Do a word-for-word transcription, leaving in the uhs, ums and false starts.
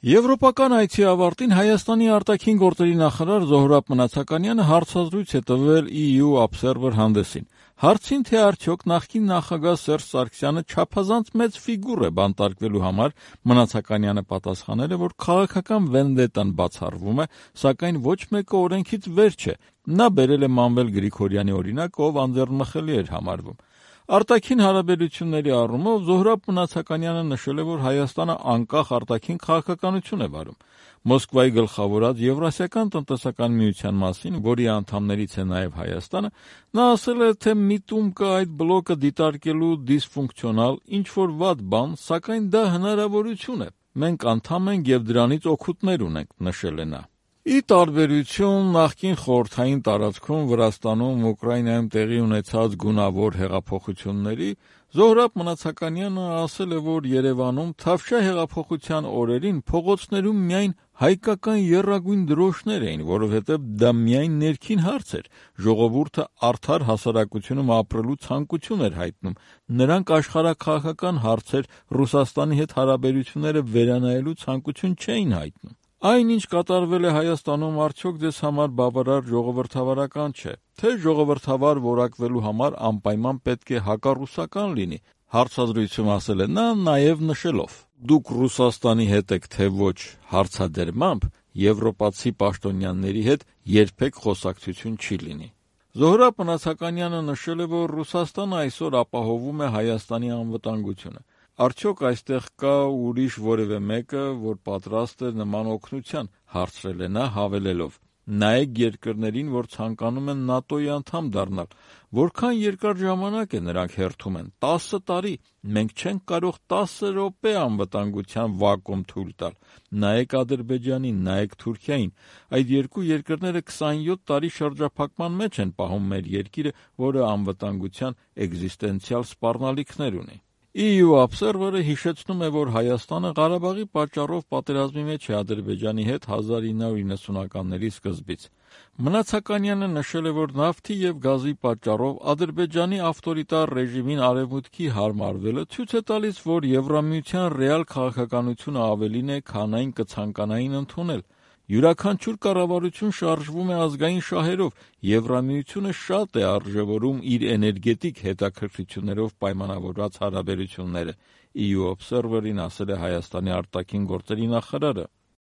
Եվրոպական այցի ավարտին Հայաստանի արտաքին գործերի նախարար Զոհրաբ Մնացականյանը հարցազրույց է տվել E U Observer հանդեսին։ Հարցին, թե արդյոք նախկին նախագահ Սերժ Սարգսյանը չափազանց մեծ ֆիգուր է բանտարկվելու համար, Մնացականյանը պատասխանել է, որ քաղաքական վենդետան բացառվում է, սակայն ոչ մեկը օրենքից վեր չէ։ Նա բերել է Մանվել Գրիգորյանի օրինակ, ով անձեռնմխելի էր համարվում։ Արտաքին հարաբերությունների առումով Զոհրաբ Մնացականյանը նշել է, որ Հայաստանը անկախ արտաքին քաղաքականություն է վարում։ Մոսկվայի գլխավորած Եվրասիական տնտեսական միության մասին, որի անդամներից է նաև Հայաստանը, նա ասել է, թե միտում կա այդ բլոկը դիտարկելու դիսֆունկցիոնալ ինչ-որ վատ բան, սակայն դա հնարավորություն է։ Մենք անդամ ենք և դրանից օգուտներ ունենք, նշել է նա։ Ի տարբերություն նախկին խորհրդային տարածքում Վրաստանում, Ուկրաինայում տեղի ունեցած գունավոր հեղափոխությունների, Զոհրաբ Մնացականյանը ասել է, որ Երևանում Թավշյա հեղափոխության օրերին փողոցներում միայն հայկական եռագույն դրոշներ էին, որովհետև դա միայն ներքին հարց էր։ Ժողովուրդը արդար հասարակությունում ապրելու ցանկություն էր հայտնում։ Նրանք աշխարհաքաղաքական հարցեր, Ռուսաստանի հետ հարաբերությունները վերանայելու ցանկություն չէին հայտնում։ Այն, ինչ կատարվել է Հայաստանում, արդյոք ձեզ համար բավարար ժողովրդավարական չէ, թե ժողովրդավար որակվելու համար անպայման պետք է հակառուսական լինի, հարցազրույցում ասել է նա, նաև նշելով. Դուք Ռուսաստանի հետ եք, թե ոչ հարցադրմամբ, եվրոպացի պաշտոնյաների հետ երբեք խոսակցություն չի լինի։ Զոհրաբ Մնացականյանը նշել է, որ Ռուսաստանը այսօր ապահովում է Հայաստանի անվտանգությունը։ Արդյոք այստեղ կա ուրիշ որևէ մեկը, որ պատրաստ է նման օգնության, հարցրել է նա, հավելելով. Նայեք երկրներին, որ ցանկանում են ՆԱՏՕ-ի անդամ դառնալ, որքան երկար ժամանակ է նրանք հերթում են, տասը տարի, մենք չենք կարող տասը րոպե անվտանգության վակուում թույլ տալ։ Նայեք Ադրբեջանին, նայեք Թուրքիային, այդ երկու երկրները քսանյոթ տարի շրջափակման մեջ են պահում մեր երկիրը, որը անվտանգության էկզիստենցիալ սպառնալիքներ ունի։ E U Observer-ը հիշեցնում է, որ Հայաստանը Ղարաբաղի պատճառով պատերազմի մեջ է Ադրբեջանի հետ հազար ինը հարյուր իննսունականների սկզբից։ Մնացականյանը նշել է, որ նավթի և գազի պատճառով Ադրբեջանի ավտորիտար ռեժիմին արևմուտքի հարմարվելը ցույց է տալիս, որ Եվրամիության ռեալ քաղաքականությունը ավելին է, քան այն կցանկանային ընդունել։ Յուրաքանչյուր կառավարություն շարժվում է ազգային շահերով, Եվրամիությունը շատ է արժևորում իր էներգետիկ հետաքրքրություններով պայմանավորված հարաբերությունները, E U Observer-ին ասել է Հայաստանի արտաքին գործերի նախարարը։